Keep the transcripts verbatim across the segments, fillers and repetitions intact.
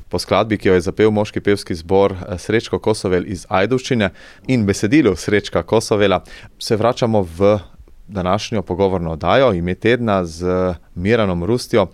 Po skladbi, ki jo je zapel moški pevski zbor Srečko Kosovel iz Ajdovščine in besedilu Srečka Kosovela, se vračamo v današnjo pogovorno oddajo Ime tedna z Miranom Rustjo.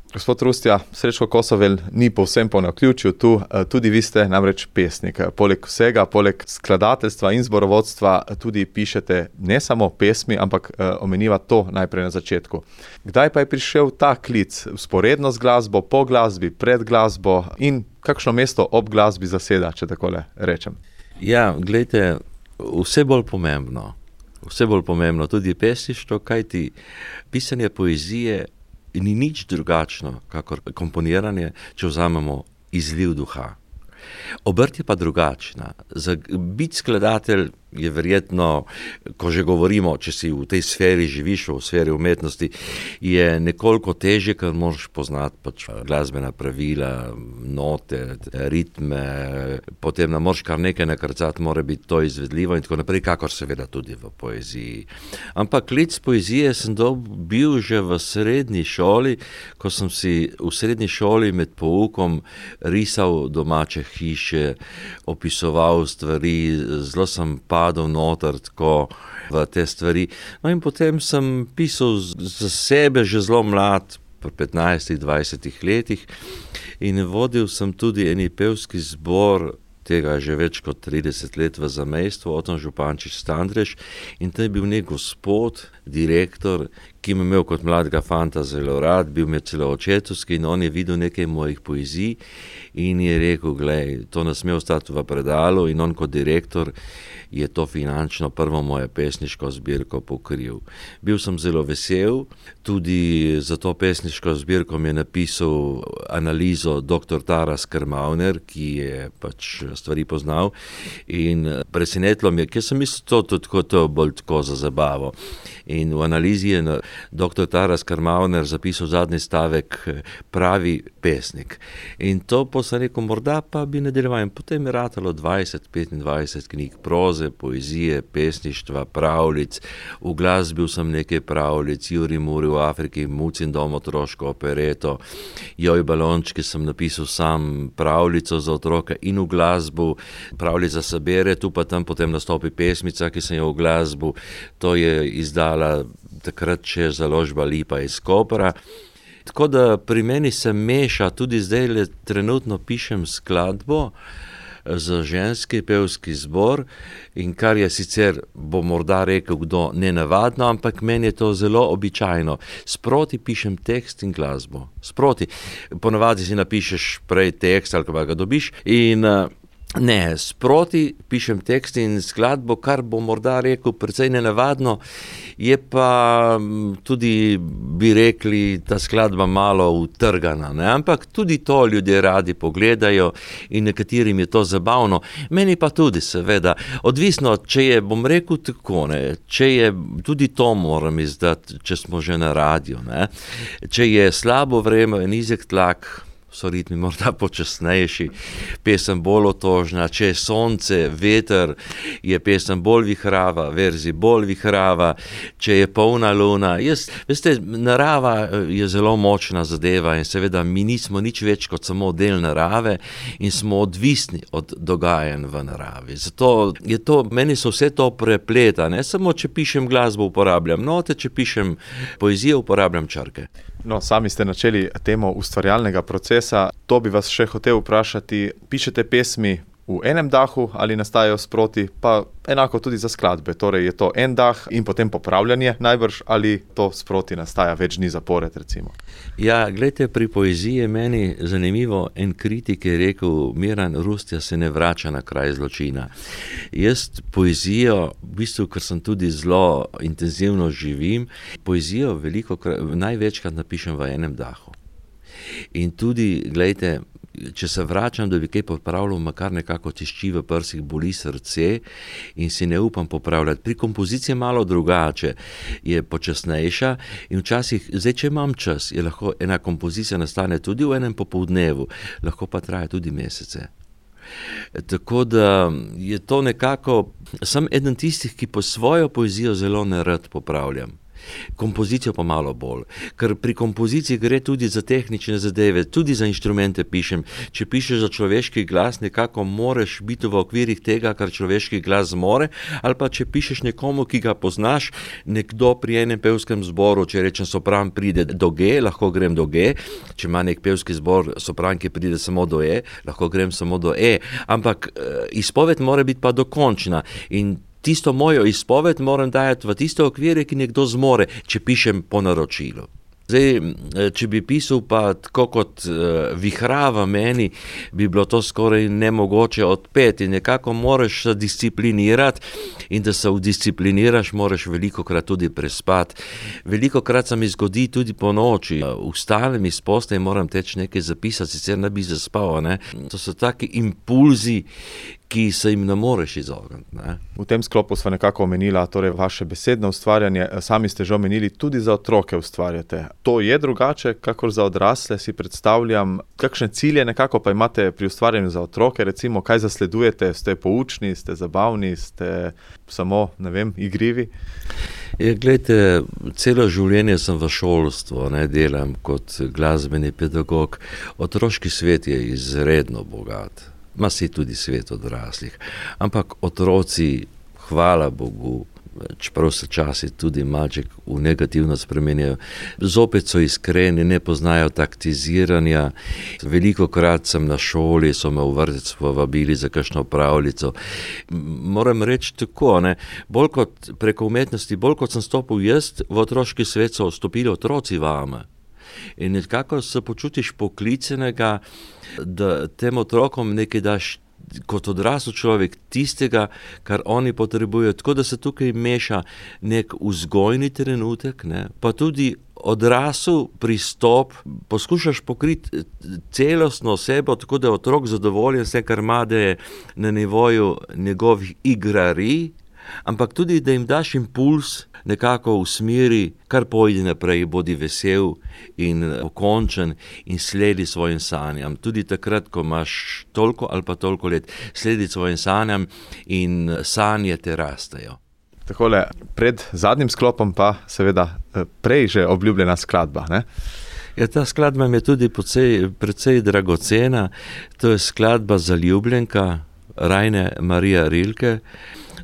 Gospod Rustja, Srečko Kosovel ni povsem po naključju tu, tudi vi ste namreč pesnik. Poleg vsega, poleg skladateljstva in zborovodstva tudi pišete ne samo pesmi, ampak omeniva to najprej na začetku. Kdaj pa je prišel ta klic vzporedno z glasbo, po glasbi, pred glasbo in kakšno mesto ob glasbi zaseda, če takole rečem? Ja, glejte, vse bolj pomembno, vse bolj pomembno, tudi pesništvo, kajti pisanje poezije ni nič drugačno, kakor komponiranje, če vzamemo izliv duha. Obrt je pa drugačna. Za biti skladatelj je verjetno, ko že govorimo, če si v tej sferi živiš, v sferi umetnosti, je nekoliko težje, ker moraš poznati pač glasbena pravila, note, ritme, potem ne moraš kar nekaj nakrcati, mora biti to izvedljivo in tako naprej, kakor seveda tudi v poeziji. Ampak klic poezije sem dobil že v srednji šoli, ko sem si v srednji šoli med poukom risal domače hiše, opisoval stvari, zelo sem padel noter tako v te stvari. No in potem sem pisal za sebe že zelo mlad, pri petnajstih, dvajsetih letih in vodil sem tudi eni pevski zbor, tega že več kot trideset let v zamejstvu, Oton Župančič Standrež, in to je bil nek gospod, direktor, ki me imel kot mladega fanta zelo rad, bil mi celo očetovski in on je videl nekaj mojih poezij in je rekel, glej, to ne sme ostati v predalu, in on kot direktor je to finančno prvo moje pesniško zbirko pokril. Bil sem zelo vesel, tudi za to pesniško zbirko mi je napisal analizo doktor Taras Krmavner, ki je pač stvari poznal, in presenetilo mi je, ker sem mislil, to tudi to, to bolj tako za zabavo. In v analizi je doktor Taras Krmavner zapisal zadnji stavek pravi pesnik. In to pa sem rekel, morda pa bi nadaljeval. In potem je ratalo dvajset, petindvajset knjig proze, poezije, pesništva, pravljic. V glasbil sem nekaj pravljic, Juri Muri v Afriki, Mucin dom, otroško opereto, Joj balončki sem napisal sam pravljico za otroke in v glasbu, pravljica se bere, tu pa tam potem nastopi pesmica, ki sem jo v glasbu, to je izdala takrat še založba Lipa iz Kopra. Tako da pri meni se meša, tudi zdaj le trenutno pišem skladbo za ženski pevski zbor, in kar je sicer, bo morda rekel kdo, nenavadno, ampak meni je to zelo običajno. Sproti pišem tekst in glasbo. Sproti. Ponavadi si napišeš prej tekst ali pa ga dobiš in ne, sproti pišem tekst in skladbo, kar bo morda rekel precej nenavadno, je pa tudi, bi rekli, ta skladba malo utrgana, ne? Ampak tudi to ljudje radi pogledajo in nekaterim je to zabavno. Meni pa tudi, seveda, odvisno, če je, bom rekel tako, ne, če je, tudi to moram izdati, če smo že na radiju, ne, če je slabo vreme, nizek tlak, so ritmi morda počasnejši, pesem bolj otožna, če je sonce, veter, je pesem bolj vihrava, verzi bolj vihrava, če je polna luna. Jaz, veste, narava je zelo močna zadeva in seveda mi nismo nič več kot samo del narave in smo odvisni od dogajanj v naravi. Zato je to, meni so vse to prepleta, ne samo če pišem glasbo uporabljam note, če pišem poezijo uporabljam črke. No, sami ste načeli temo ustvarjalnega procesa. To bi vas še hotel vprašati. Pišete pesmi v enem dahu ali nastajajo sproti, pa enako tudi za skladbe. Torej je to en dah in potem popravljanje najbrž, ali to sproti nastaja več dni zapored, recimo? Ja, glejte, pri poeziji je meni zanimivo, en kritik je rekel, Miran Rustja se ne vrača na kraj zločina. Jaz poezijo, v bistvu, ker sem tudi zelo intenzivno živim, poezijo veliko, največkrat napišem v enem dahu. In tudi, glejte, če se vračam, da bi kaj popravljal, ma kar nekako tišči v prsih, boli srce in si ne upam popravljati. Pri kompoziciji je malo drugače, je počasnejša in včasih, zdaj če imam čas, je lahko ena kompozicija nastane tudi v enem popoldnevu, lahko pa traja tudi mesece. Tako da je to nekako, sem eden tistih, ki po svojo poezijo zelo nerad popravljam. kompozicijo pa malo bolj. Ker pri kompoziciji gre tudi za tehnične zadeve, tudi za inštrumente pišem. Če pišeš za človeški glas, nekako moraš biti v okvirih tega, kar človeški glas zmore, ali pa če pišeš nekomu, ki ga poznaš, nekdo pri enem pevskem zboru, če rečem sopran pride do G, lahko grem do G, če ima nek pevski zbor sopran, ki pride samo do E, lahko grem samo do E, ampak izpoved mora biti pa dokončna in tisto mojo izpoved moram dajati v tiste okvire, ki nekdo zmore, če pišem po naročilu. Zdaj, če bi pisal pa tako kot uh, vihrava meni, bi bilo to skoraj nemogoče odpeti. Nekako moraš se disciplinirati in da se udiscipliniraš, moraš velikokrat tudi prespati. Velikokrat se mi zgodi tudi po noči. Vstanem iz postelje in moram teči nekaj zapisati, sicer ne bi zaspal. Ne? To so taki impulzi, ki se jim ne moreš izogniti. Ne? V tem sklopu sva nekako omenila torej vaše besedno ustvarjanje. Sami ste že omenili, tudi za otroke ustvarjate. To je drugače, kakor za odrasle, si predstavljam. Kakšne cilje nekako pa imate pri ustvarjanju za otroke? Recimo, kaj zasledujete? Ste poučni, ste zabavni, ste samo, ne vem, igrivi? Je, glejte, celo življenje sem v šolstvu, ne, delam kot glasbeni pedagog. Otroški svet je izredno bogat. Ma si tudi svet odraslih. Ampak otroci, hvala Bogu, čeprav se časi tudi malček v negativno spremenjajo, zopet so iskreni, ne poznajo taktiziranja. Velikokrat sem na šoli, so me v vrtec povabili za kakšno pravljico. Moram reči tako, ne, bolj kot preko umetnosti, bolj kot sem stopil jaz, v otroški svet so vstopili otroci vame. In nekako se počutiš poklicenega, da tem otrokom nekaj daš kot odrasel človek tistega, kar oni potrebujejo. Tako da se tukaj meša nek vzgojni trenutek, ne, pa tudi odrasel pristop, poskušaš pokriti celostno osebo, tako da je otrok zadovoljen s tem, kar ima, da je na nivoju njegovih igrarij, ampak tudi, da jim daš impuls nekako v smeri, kar pojdi naprej, bodi vesel in pokončen in sledi svojim sanjam. Tudi takrat, ko imaš toliko ali pa toliko let, sledi svojim sanjam in sanje te rastejo. Takole, pred zadnjim sklopom pa seveda prej že obljubljena skladba, ne? Ja, ta skladba mi je tudi precej, precej dragocena. To je skladba Zaljubljenka Raine Marija Rilke.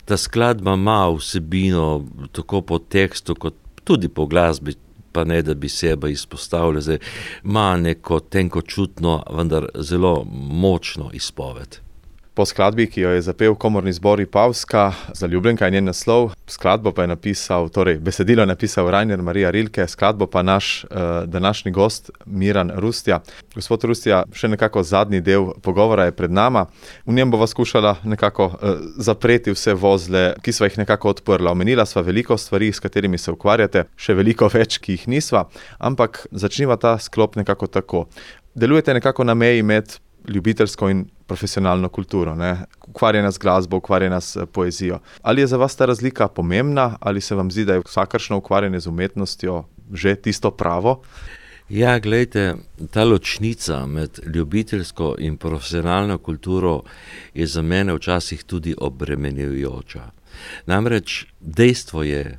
Ta skladba ima vsebino tako po tekstu, kot tudi po glasbi, pa ne da bi sebe izpostavljal. Zdaj, ima neko tenkočutno, vendar zelo močno izpoved. Po skladbi, ki jo je zapel komorni zbor Ipavska, Zaljubljenka je njen naslov, skladbo pa je napisal, torej besedilo je napisal Rainer Marija Rilke, skladbo pa naš uh, današnji gost Miran Rustja. Gospod Rustja, še nekako zadnji del pogovora je pred nama. V njem bova skušala nekako uh, zapreti vse vozle, ki sva jih nekako odprla. Omenila sva veliko stvari, s katerimi se ukvarjate, še veliko več, ki jih nisva, ampak začniva ta sklop nekako tako. Delujete nekako na meji med ljubiteljsko in profesionalno kulturo, ne? Ukvarjena z glasbo, ukvarjena s poezijo. Ali je za vas ta razlika pomembna, ali se vam zdi, da je vsakršno ukvarjanje z umetnostjo že tisto pravo? Ja, glejte, ta ločnica med ljubiteljsko in profesionalno kulturo je za mene včasih tudi obremenjujoča. Namreč dejstvo je,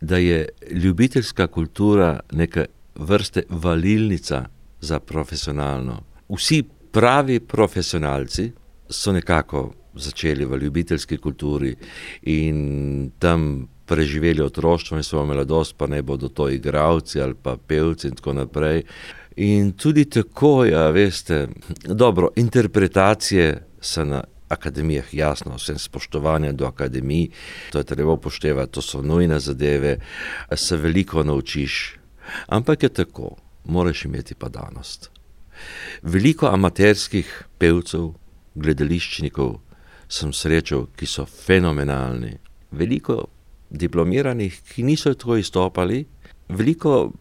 da je ljubiteljska kultura neka vrste valilnica za profesionalno. Vsi pravi profesionalci so nekako začeli v ljubiteljski kulturi in tam preživeli otroštvo in svojo mladost, pa ne bodo to igralci ali pa pevci in tako naprej. In tudi tako, ja, veste, dobro, interpretacije so na akademijah, jasno, vsem spoštovanje do akademij, to je treba upoštevati, to so nujne zadeve, se veliko naučiš, ampak je tako, moraš imeti pa danost. Veliko amaterskih pevcev, gledališčnikov sem srečal, ki so fenomenalni. Veliko diplomiranih, ki niso tako izstopali, veliko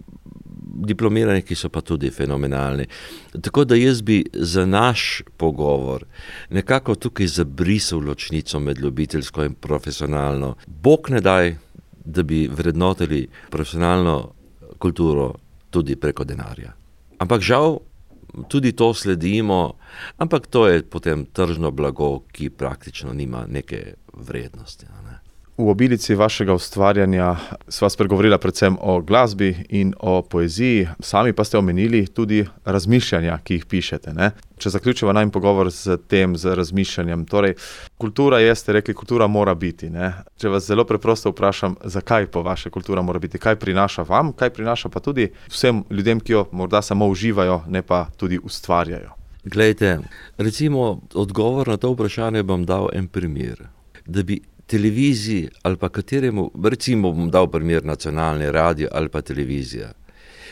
diplomiranih, ki so pa tudi fenomenalni. Tako da jaz bi za naš pogovor nekako tukaj zabrisal ločnico med ljubiteljsko in profesionalno. Bog ne daj, da bi vrednotili profesionalno kulturo tudi preko denarja. Ampak žal, tudi to sledimo, ampak to je potem tržno blago, ki praktično nima neke vrednosti. Ne? V obilici vašega ustvarjanja sva spregovorila predvsem o glasbi in o poeziji, sami pa ste omenili tudi razmišljanja, ki jih pišete, ne? Če zaključiva najin pogovor z tem, z razmišljanjem, torej kultura je, ste rekli, kultura mora biti, ne? Če vas zelo preprosto vprašam, zakaj po vaše kultura mora biti, kaj prinaša vam, kaj prinaša pa tudi vsem ljudem, ki jo morda samo uživajo, ne pa tudi ustvarjajo. Glejte, recimo odgovor na to vprašanje bom dal en primer, da bi televiziji ali pa kateremu, recimo bom dal primer nacionalni radio ali pa televizija.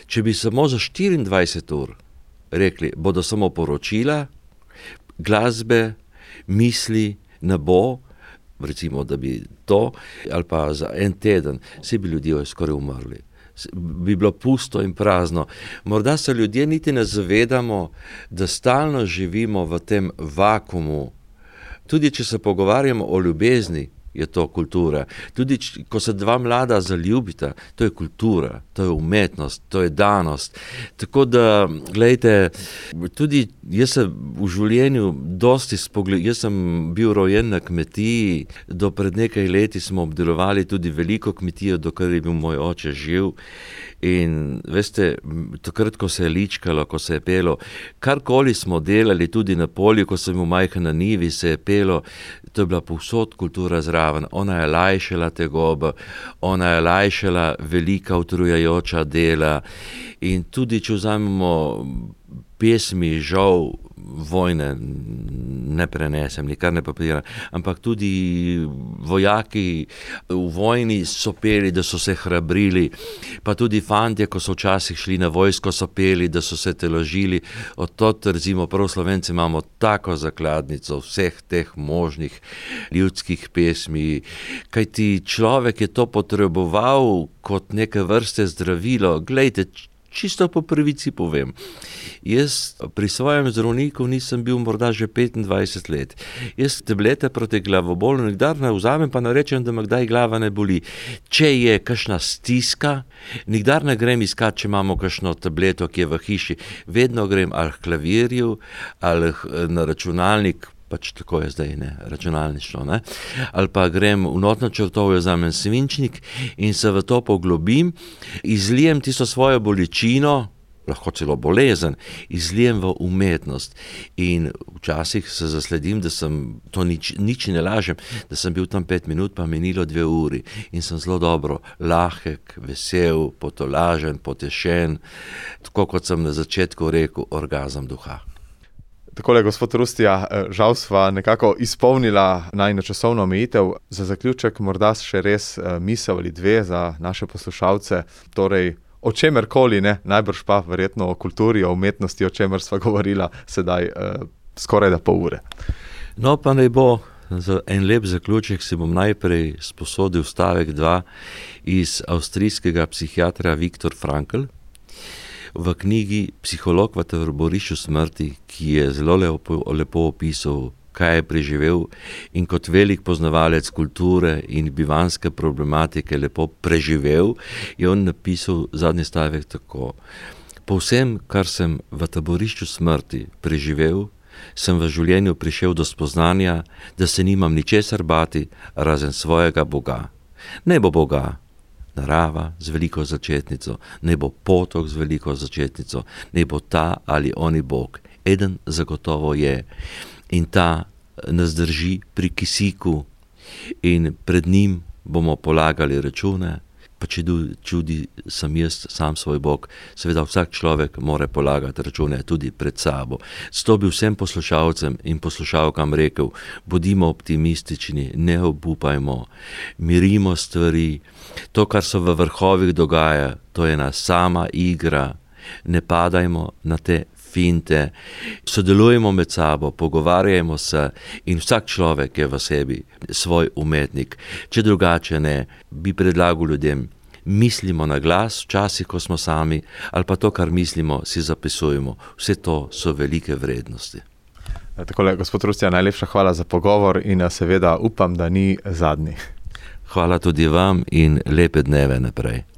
Če bi samo za štiriindvajset ur rekli, bodo samo poročila, glasbe, misli ne bo, recimo, da bi to, ali pa za en teden, vsi bi ljudje skoraj umrli. Bi bilo pusto in prazno. Morda se ljudje niti ne zavedamo, da stalno živimo v tem vakumu. Tudi če se pogovarjamo o ljubezni, je to kultura. Tudi, ko se dva mlada zaljubita, to je kultura, to je umetnost, to je danost. Tako da, glejte, tudi jaz se v življenju dosti spogledal, jaz sem bil rojen na kmetiji, do pred nekaj leti smo obdelovali tudi veliko kmetijo, dokler je bil moj oče živ. In veste, takrat, ko se je ličkalo, ko se je pelo, karkoli smo delali tudi na polju, ko sem bil majhen na njivi, se je pelo, to je bila povsod kultura zraven. Ona je lajšala tegobo, ona je lajšala velika utrujajoča dela. In tudi, če vzamemo pesmi, žal vojne ne prenesem, nikar ne papiriram, ampak tudi vojaki v vojni so peli, da so se hrabrili, pa tudi fantje, ko so včasih šli na vojsko, so peli, da so se teložili. Od tot, recimo, prav Slovenci imamo tako zakladnico vseh teh možnih ljudskih pesmi, kajti človek je to potreboval kot neke vrste zdravilo. Glejte, čisto po pravici povem. Jaz pri svojem zdravniku nisem bil morda že petindvajset let. Jaz tablete proti glavobolu nikdar ne vzamem, pa ne rečem, da me kdaj glava ne boli. Če je kakšna stiska, nikdar ne grem iskat, če imamo kakšno tableto, ki je v hiši. Vedno grem ali k klavirju, ali na računalnik, pač tako je zdaj, ne, računalništvo, ne, ali pa grem v notno črtovjo, vzamem svinčnik in se v to poglobim, izlijem tisto svojo bolečino, lahko celo bolezen, izlijem v umetnost. In včasih se zasledim, da sem, to nič, nič ne lažem, da sem bil tam pet minut, pa minilo dve uri in sem zelo dobro, lahek, vesel, potolažen, potešen, tako kot sem na začetku rekel, orgazem duha. Takole, gospod Rustija, žal sva nekako izpolnila najino časovno omejitev. Za zaključek morda še res misel ali dve za naše poslušalce, torej o čemerkoli, ne, najbrž pa verjetno o kulturi, o umetnosti, o čemer sva govorila sedaj eh, skoraj da pol ure. No, pa naj bo za en lep zaključek, si bom najprej sposodil stavek dva iz avstrijskega psihiatra Viktor Frankl, v knjigi Psiholog v taborišču smrti, ki je zelo lepo, lepo opisal, kaj je preživel in kot velik poznavalec kulture in bivanske problematike lepo preživel, je on napisal zadnji stavek tako. Po vsem, kar sem v taborišču smrti preživel, sem v življenju prišel do spoznanja, da se nimam ničesar bati razen svojega Boga. Ne bo Boga narava z veliko začetnico, ne bo potok z veliko začetnico, ne bo ta ali oni Bog. Eden zagotovo je in ta nas drži pri kisiku in pred njim bomo polagali račune, pa če čudi sem jaz sam svoj Bog, seveda vsak človek mora polagati račune tudi pred sabo. Zato bi vsem poslušalcem in poslušalkam rekel, bodimo optimistični, ne obupajmo, mirimo stvari. To, kar se v vrhovih dogaja, to je ena sama igra, ne padajmo na te finte, sodelujemo med sabo, pogovarjajmo se in vsak človek je v sebi svoj umetnik. Če drugače ne, bi predlagal ljudem, mislimo na glas, včasih, ko smo sami, ali pa to, kar mislimo, si zapisujemo. Vse to so velike vrednosti. Takole, gospod Rustija, najlepša hvala za pogovor in seveda upam, da ni zadnji. Hvala tudi vam in lepe dneve naprej.